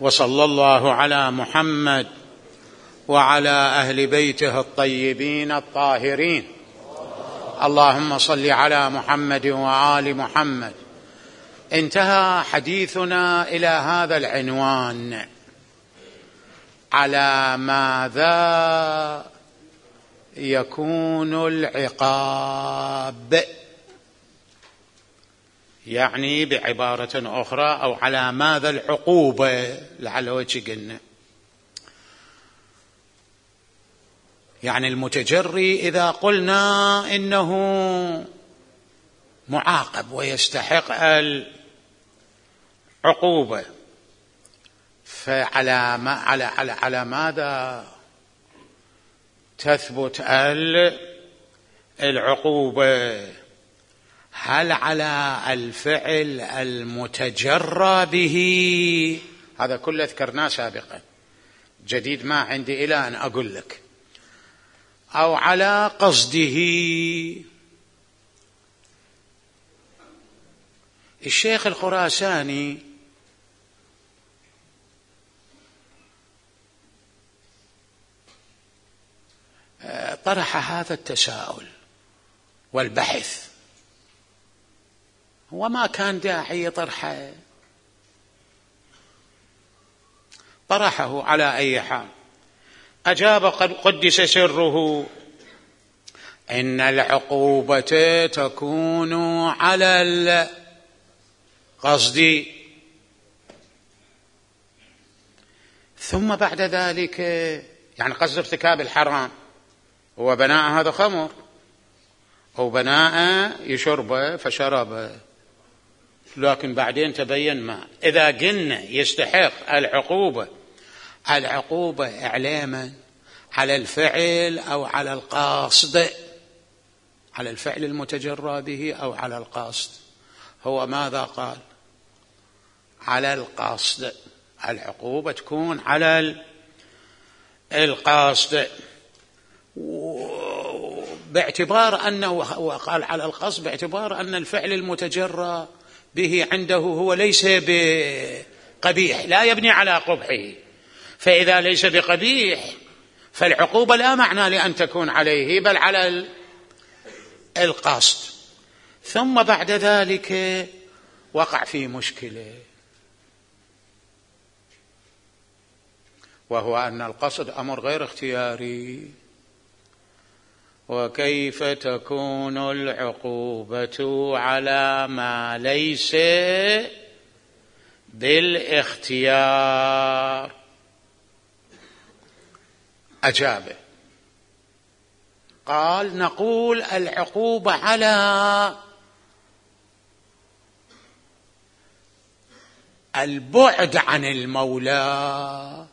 وصلى الله على محمد وعلى أهل بيته الطيبين الطاهرين. اللهم صل على محمد وآل محمد. انتهى حديثنا إلى هذا العنوان: على ماذا يكون العقاب؟ يعني بعبارة أخرى، أو على ماذا العقوبة، لعل وجه قلنا. يعني المتجري إذا قلنا إنه معاقب ويستحق العقوبة، على ماذا تثبت العقوبة؟ هل على الفعل المتجرى به؟ هذا كله ذكرناه سابقا، جديد ما عندي إلى أن أقول لك. أو على قصده؟ الشيخ الخراساني طرح هذا التساؤل والبحث، وما كان داعي طرحه، طرحه على أي حال. أجاب قدس سره: إن العقوبة تكون على القصد، ثم بعد ذلك يعني قصد ارتكاب الحرام، هو بناء هذا خمر أو بناء يشربه فشربه، لكن بعدين تبين ما. إذا قلنا يستحق العقوبة إعلاما على الفعل أو على القصد، على الفعل المتجرى به أو على القصد، هو ماذا قال؟ على القصد. العقوبة تكون على القصد، باعتبار أنه قال على القصد باعتبار أن الفعل المتجرى به عنده هو ليس بقبيح، لا يبني على قبحه، فإذا ليس بقبيح فالعقوبة لا معنى لأن تكون عليه، بل على القصد. ثم بعد ذلك وقع في مشكلة، وهو أن القصد أمر غير اختياري. وكيف تكون العقوبة على ما ليس بالاختيار؟ أجاب قال: نقول العقوبة على البعد عن المولى،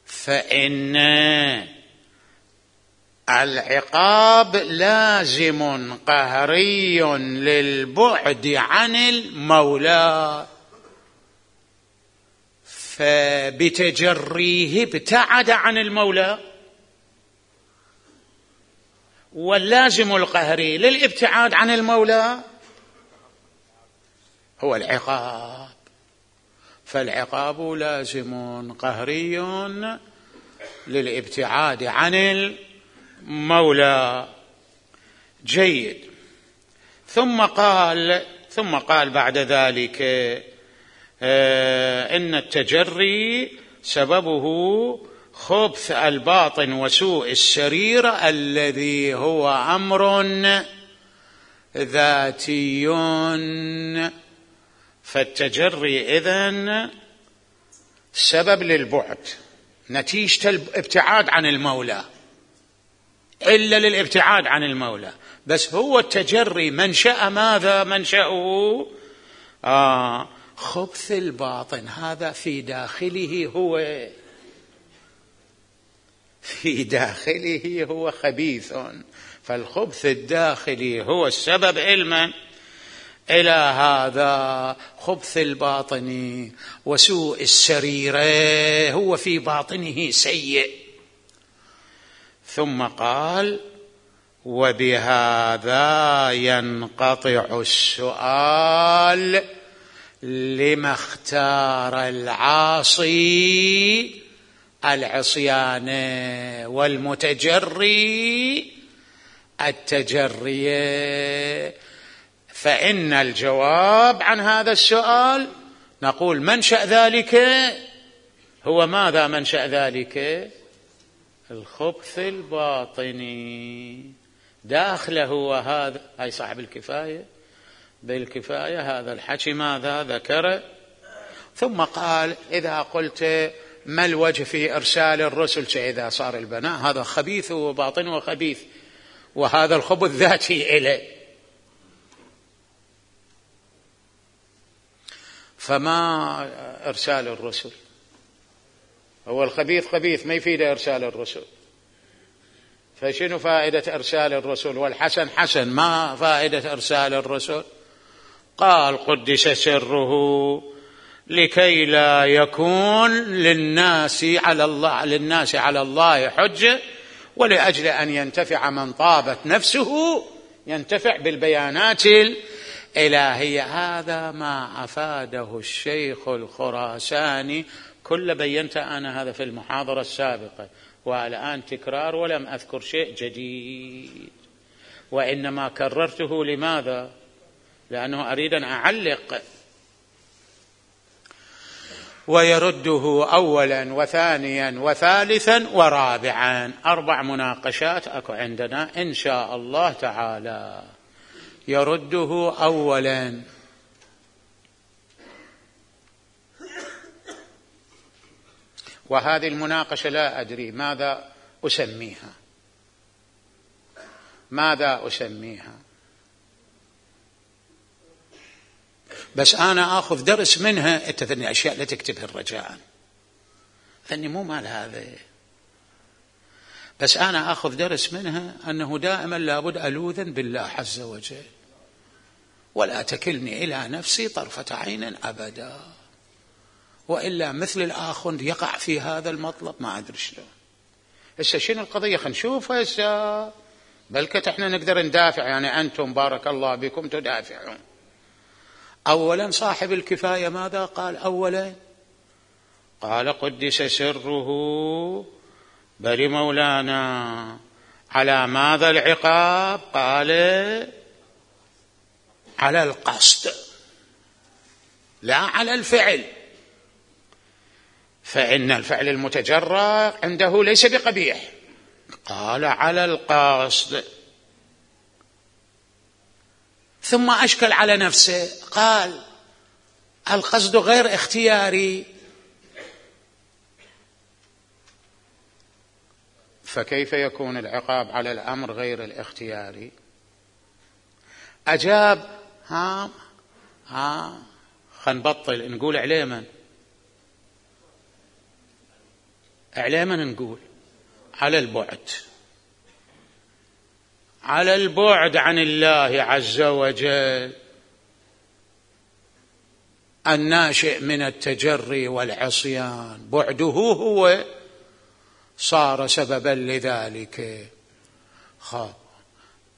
فإن العقاب لازم قهري للبعد عن المولى، فبتجريه ابتعد عن المولى، واللازم القهري للابتعاد عن المولى هو العقاب، فالعقاب لازم قهري للابتعاد عن المولى. جيد. ثم قال بعد ذلك إن التجري سببه خبث الباطن وسوء السريرة الذي هو أمر ذاتي، فالتجري إذن سبب للبعد، نتيجة الابتعاد عن المولى، إلا للابتعاد عن المولى. بس هو التجري منشأ ماذا؟ منشأه خبث الباطن، هذا في داخله هو خبيث، فالخبث الداخلي هو السبب علما إلى هذا خبث الباطن وسوء السريرة، هو في باطنه سيء. ثم قال: وبهذا ينقطع السؤال لما اختار العاصي العصيان والمتجري التجري. فإن الجواب عن هذا السؤال نقول منشأ ذلك هو ماذا؟ منشأ ذلك الخبث الباطني داخله. وهذا أي صاحب الكفاية بالكفاية هذا الحكي ماذا ذكر. ثم قال إذا قلت ما الوجه في إرسال الرسل، إذا صار البناء هذا خبيث وباطن وخبيث، وهذا الخبث ذاتي إليه، فما إرسال الرسل؟ هو الخبيث خبيث ما يفيد إرسال الرسل، فشنو فائدة إرسال الرسل؟ والحسن حسن، ما فائدة إرسال الرسل؟ قال قدس سره لكي لا يكون للناس على الله حجة، ولأجل أن ينتفع من طابت نفسه ينتفع بالبيانات الإلهية. هذا ما أفاده الشيخ الخراساني، كل بينت أنا هذا في المحاضرة السابقة، والآن تكرار ولم أذكر شيء جديد، وإنما كررته. لماذا؟ لأنه أريد أن أعلق. ويرده أولا وثانيا وثالثا ورابعا، 4 مناقشات أكو عندنا إن شاء الله تعالى. يرده أولا، وهذه المناقشة لا أدري ماذا أسميها، بس أنا أخذ درس منها. اتثني أشياء لا تكتبها الرجاء، ثني مو مال هذا، بس أنا أخذ درس منها أنه دائما لابد ألوذا بالله عز وجل، ولا تكلني إلى نفسي طرفة عين أبدا، وإلا مثل الآخر يقع في هذا المطلب ما أدري شلون. هسه شنو القضية؟ خلينا نشوف هسه، بلكت احنا نقدر ندافع، يعني أنتم بارك الله بكم تدافعون. أولا صاحب الكفاية ماذا قال؟ أولا قال قدس سره بل مولانا على ماذا العقاب؟ قال على القصد لا على الفعل، فإن الفعل المتجرى عنده ليس بقبيح. قال على القصد، ثم أشكل على نفسه قال القصد غير اختياري، فكيف يكون العقاب على الأمر غير الاختياري؟ أجاب خنبطل نقول عليما نقول على البعد عن الله عز وجل الناشئ من التجري والعصيان، بعده هو صار سببا لذلك.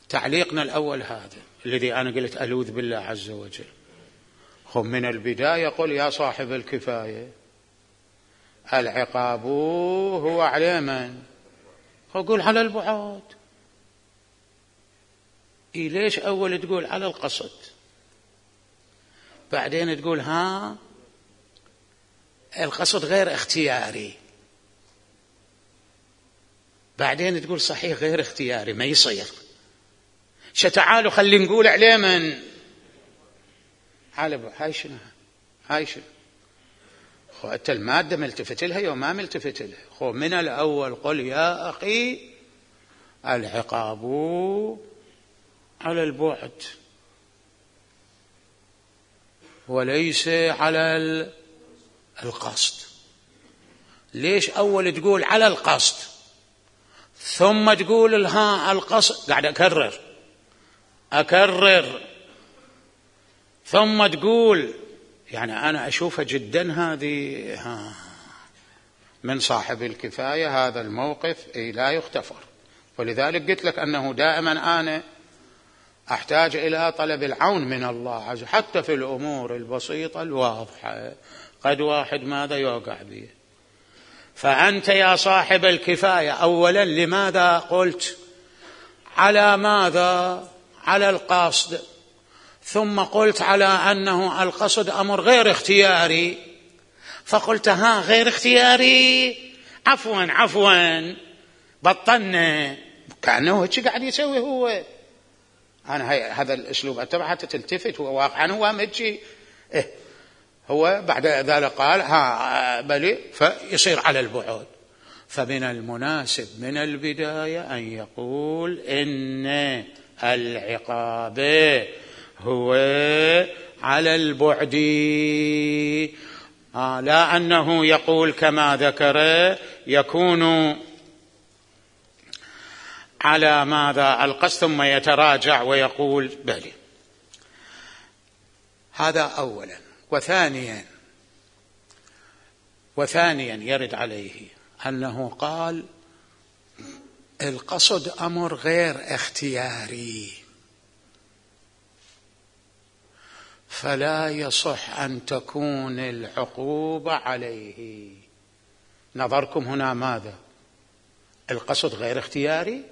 تعليقنا الأول هذا الذي أنا قلت ألوذ بالله عز وجل. من البداية قل يا صاحب الكفاية العقاب هو على من؟ قل على البعد. ليش أول تقول على القصد، بعدين تقول القصد غير اختياري، بعدين تقول صحيح غير اختياري ما يصير. تعالوا خلي نقول عليه من هاي شنو أنت المادة ملتفت لها وما ملتفت لها. من الأول قل يا أخي العقاب على البعد وليس على القصد. ليش أول تقول على القصد ثم تقول القصد؟ قاعد أكرر ثم تقول، يعني أنا أشوفها جدا هذه من صاحب الكفاية هذا الموقف لا يغتفر. ولذلك قلت لك أنه دائما أنا أحتاج إلى طلب العون من الله عز وجل حتى في الأمور البسيطة الواضحة. قد واحد ماذا يوقع به. فأنت يا صاحب الكفاية أولا لماذا قلت على ماذا؟ على القصد، ثم قلت على أنه القصد أمر غير اختياري، فقلت ها غير اختياري، عفوا بطلنا، كأنه هيك قاعد يسوي هو. أنا هذا الأسلوب أتبع حتى تلتفت، هو واقعا هو مجي هو بعد ذلك قال ها بلي، فيصير على البعد. فمن المناسب من البداية أن يقول إن العقاب هو على البعد، لا أنه يقول كما ذكر يكون على ماذا القصد ثم يتراجع ويقول بلي. هذا أولا. وثانيا يرد عليه أنه قال القصد أمر غير اختياري، فلا يصح أن تكون العقوبة عليه. نظركم هنا ماذا؟ القصد غير اختياري،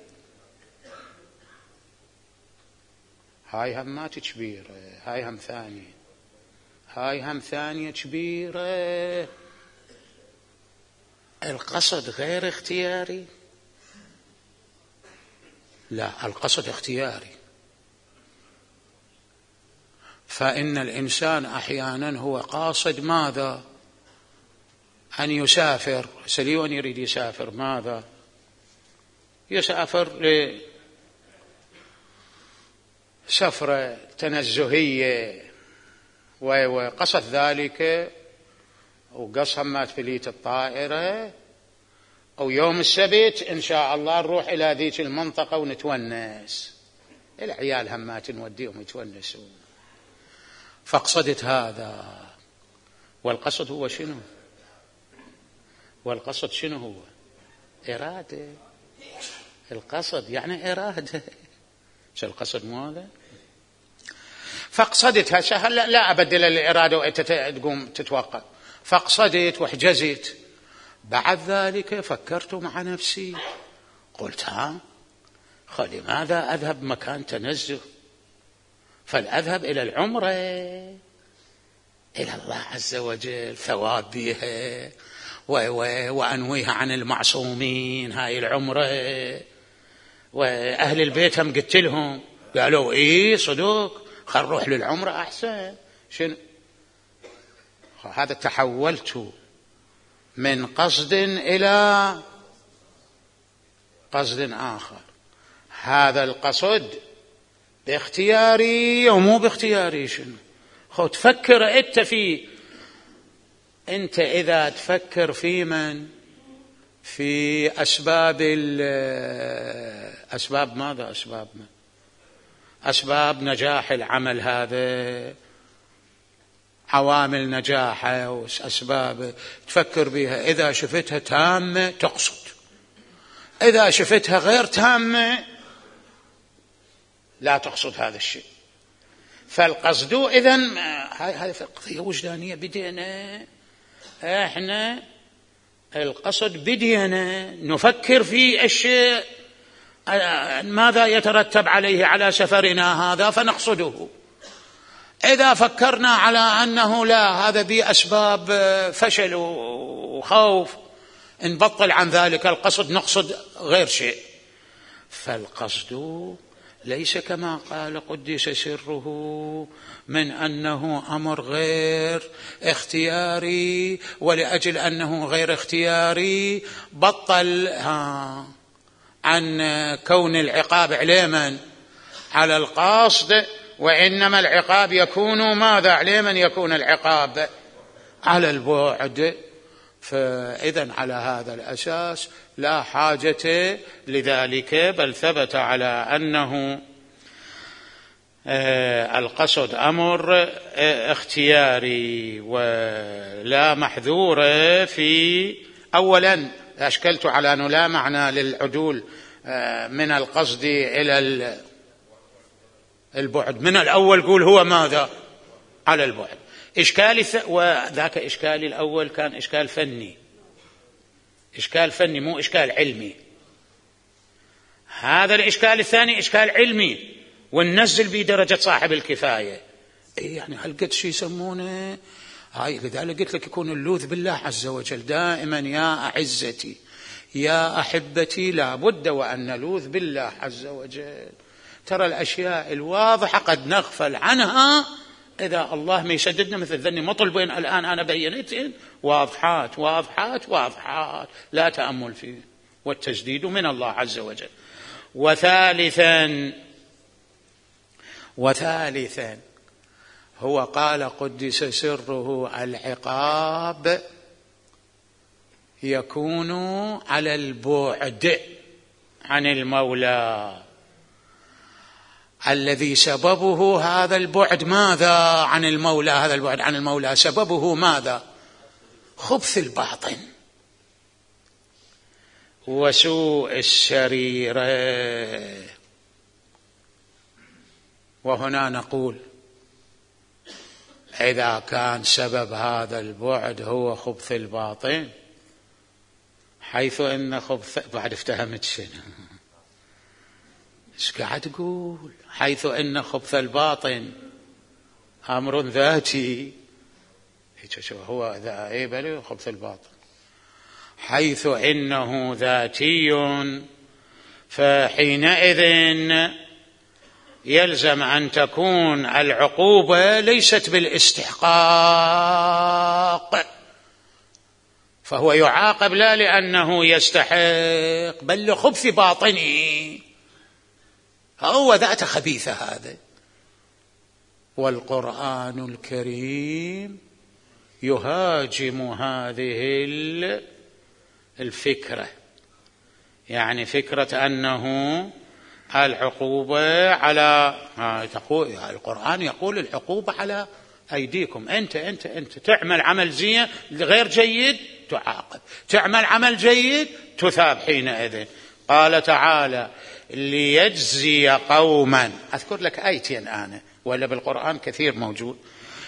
هاي همات كبيرة، هاي هم ثانية كبيرة. القصد غير اختياري، لا القصد اختياري. فإن الإنسان أحيانا هو قاصد ماذا؟ أن يسافر، سليون يريد يسافر ماذا؟ يسافر لسفرة تنزهية وقصد ذلك وقص همات فليت الطائرة، أو يوم السبت إن شاء الله نروح إلى ذيك المنطقة ونتونس، العيال همات نوديهم يتونسون، فاقصدت هذا. والقصد هو شنو؟ والقصد شنو هو؟ إرادة. القصد يعني إرادة، شو القصد مو هذا؟ فاقصدتها سهل، لا أبدل الإرادة وأنت تقوم تتوقع، فاقصدت واحجزت. بعد ذلك فكرت مع نفسي قلت لماذا أذهب مكان تنزه؟ فلأذهب إلى العمرة إلى الله عز وجل، ثواب بها وأنويها عن المعصومين هاي العمرة. وأهل البيت هم قلت لهم، قالوا إيه صدق، خل نروح للعمرة أحسن. شنو هذا؟ تحولت من قصد إلى قصد آخر. هذا القصد باختياري ومو باختياري. شنو تفكر أنت فيه؟ أنت إذا تفكر في من؟ في أسباب ماذا؟ أسباب نجاح العمل، هذا عوامل نجاحه وأسباب تفكر بها. إذا شفتها تامة تقصد، إذا شفتها غير تامة لا تقصد هذا الشيء. فالقصد إذن هذه قضية وجدانية. بدينا إحنا القصد، بدينا نفكر في الشيء ماذا يترتب عليه على سفرنا هذا فنقصده. إذا فكرنا على أنه لا، هذا بأسباب فشل وخوف، نبطل عن ذلك القصد، نقصد غير شيء. فالقصد ليس كما قال قدس سره من أنه أمر غير اختياري، ولأجل أنه غير اختياري بطل عن كون العقاب عليما على القصد، وإنما العقاب يكون ماذا؟ عليما يكون العقاب على البعد. فإذن على هذا الأساس لا حاجة لذلك، بل ثبت على أنه القصد أمر اختياري ولا محذور في. أولا أشكلت على أنه لا معنى للعدول من القصد إلى البعد من الأول، قول هو ماذا؟ على البعد. وذاك إشكالي الأول كان إشكال فني، إشكال فني مو إشكال علمي. هذا الإشكال الثاني إشكال علمي، وننزل به درجة صاحب الكفاية. يعني هل قد شو يسمونه هاي؟ لذلك قلت لك يكون اللوذ بالله عز وجل دائما. يا أعزتي يا أحبتي لابد وأن نلوذ بالله عز وجل. ترى الأشياء الواضحة قد نغفل عنها إذا الله ما يسددنا، مثل ذني مطلبين الآن أنا بينتين واضحات واضحات واضحات، لا تأمل فيه، والتسديد من الله عز وجل. وثالثا هو قال قدس سره العقاب يكون على البعد عن المولى، الذي سببه هذا البعد ماذا عن المولى؟ هذا البعد عن المولى سببه ماذا؟ خبث الباطن وسوء السريرة. وهنا نقول إذا كان سبب هذا البعد هو خبث الباطن، حيث إن خبث، بعد افتهمت شنو ايش قاعد تقول؟ حيث إن خبث الباطن أمر ذاتي، هو بل خبث الباطن حيث إنه ذاتي، فحينئذ يلزم أن تكون العقوبة ليست بالاستحقاق، فهو يعاقب لا لأنه يستحق بل لخبث باطنه، هو ذات خبيثة هذا. والقرآن الكريم يهاجم هذه الفكرة، يعني فكرة أنه العقوبة على القرآن يقول العقوبة على أيديكم، أنت تعمل عمل زين غير جيد تعاقب، تعمل عمل جيد تثاب. حينئذ قال تعالى ليجزي قوما، أذكر لك آيتين أنا ولا بالقرآن كثير موجود،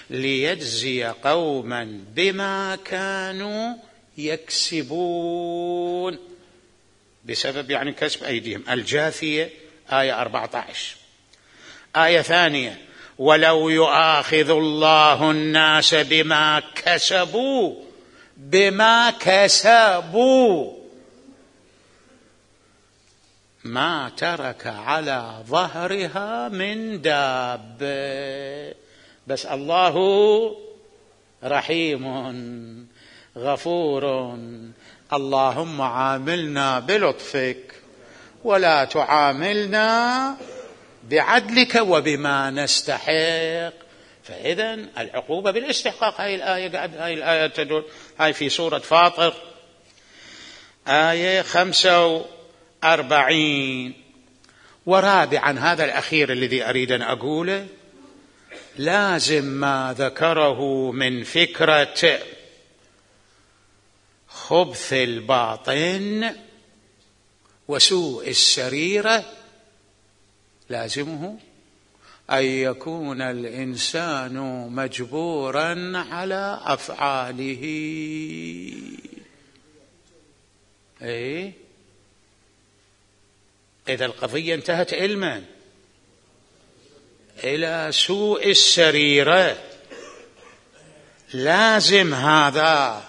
ليجزي قوما بما كانوا يكسبون، بسبب يعني كسب أيديهم. الجاثية آية 14. آية ثانية ولو يؤاخذ الله الناس بما كسبوا ما ترك على ظهرها من دابة، بس الله رحيم غفور، اللهم عاملنا بلطفك ولا تعاملنا بعدلك وبما نستحق. فإذا العقوبة بالاستحقاق. هاي الآية تدل، هاي في سورة فاطر آية 45. ورابعا، هذا الأخير الذي أريد أن أقوله، لازم ما ذكره من فكرة خبث الباطن وسوء السريرة، لازمه أن يكون الإنسان مجبورا على أفعاله. إذا القضية انتهت علما إلى سوء السريرة، لازم هذا.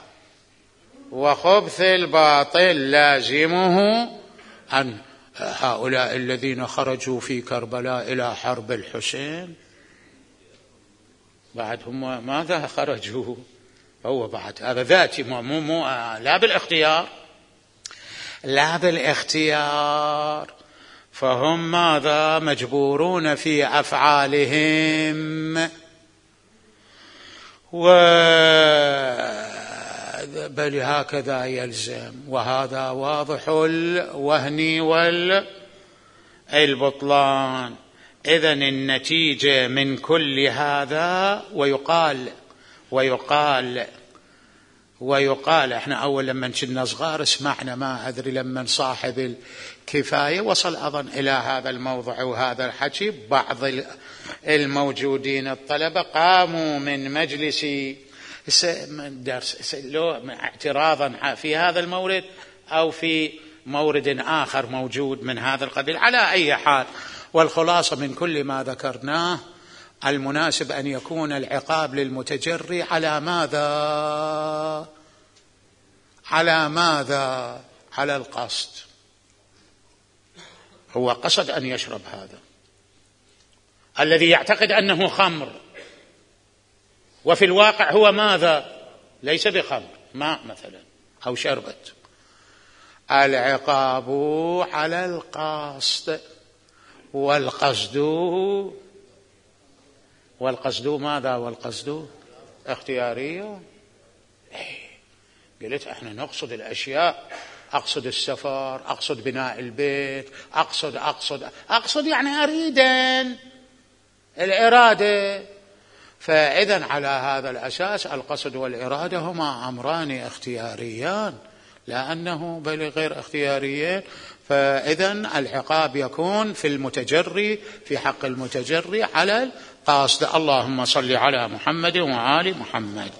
وخبث الباطل لازمه أن هؤلاء الذين خرجوا في كربلاء إلى حرب الحسين بعد هم ماذا خرجوا؟ هو بعد هذا ذاتي، مو لا بالاختيار، فهم ماذا مجبورون في أفعالهم. بل هكذا يلزم، وهذا واضح الوهن والبطلان. إذن النتيجة من كل هذا، ويقال ويقال احنا اول لما كنا صغار سمعنا، ما ادري لما صاحب الكفايه وصل اظن الى هذا الموضوع وهذا الحكي، بعض الموجودين الطلبه قاموا من مجلس درس لو اعتراضا في هذا المورد او في مورد آخر موجود من هذا القبيل. على أي حال، والخلاصة من كل ما ذكرناه المناسب أن يكون العقاب للمتجري على ماذا؟ على ماذا؟ على القصد. هو قصد أن يشرب هذا الذي يعتقد أنه خمر، وفي الواقع هو ماذا؟ ليس بخمر، ماء مثلا أو شربت. العقاب على القصد، والقصد ماذا؟ والقصد اختيارية. قلت احنا نقصد الأشياء، أقصد السفر، أقصد بناء البيت، أقصد يعني أريدا الإرادة. فإذا على هذا الأساس القصد والإرادة هما أمران اختياريان، لأنه بل غير اختياريين. فإذا العقاب يكون في المتجري، في حق المتجري على القاصد. اللهم صل على محمد وآل محمد.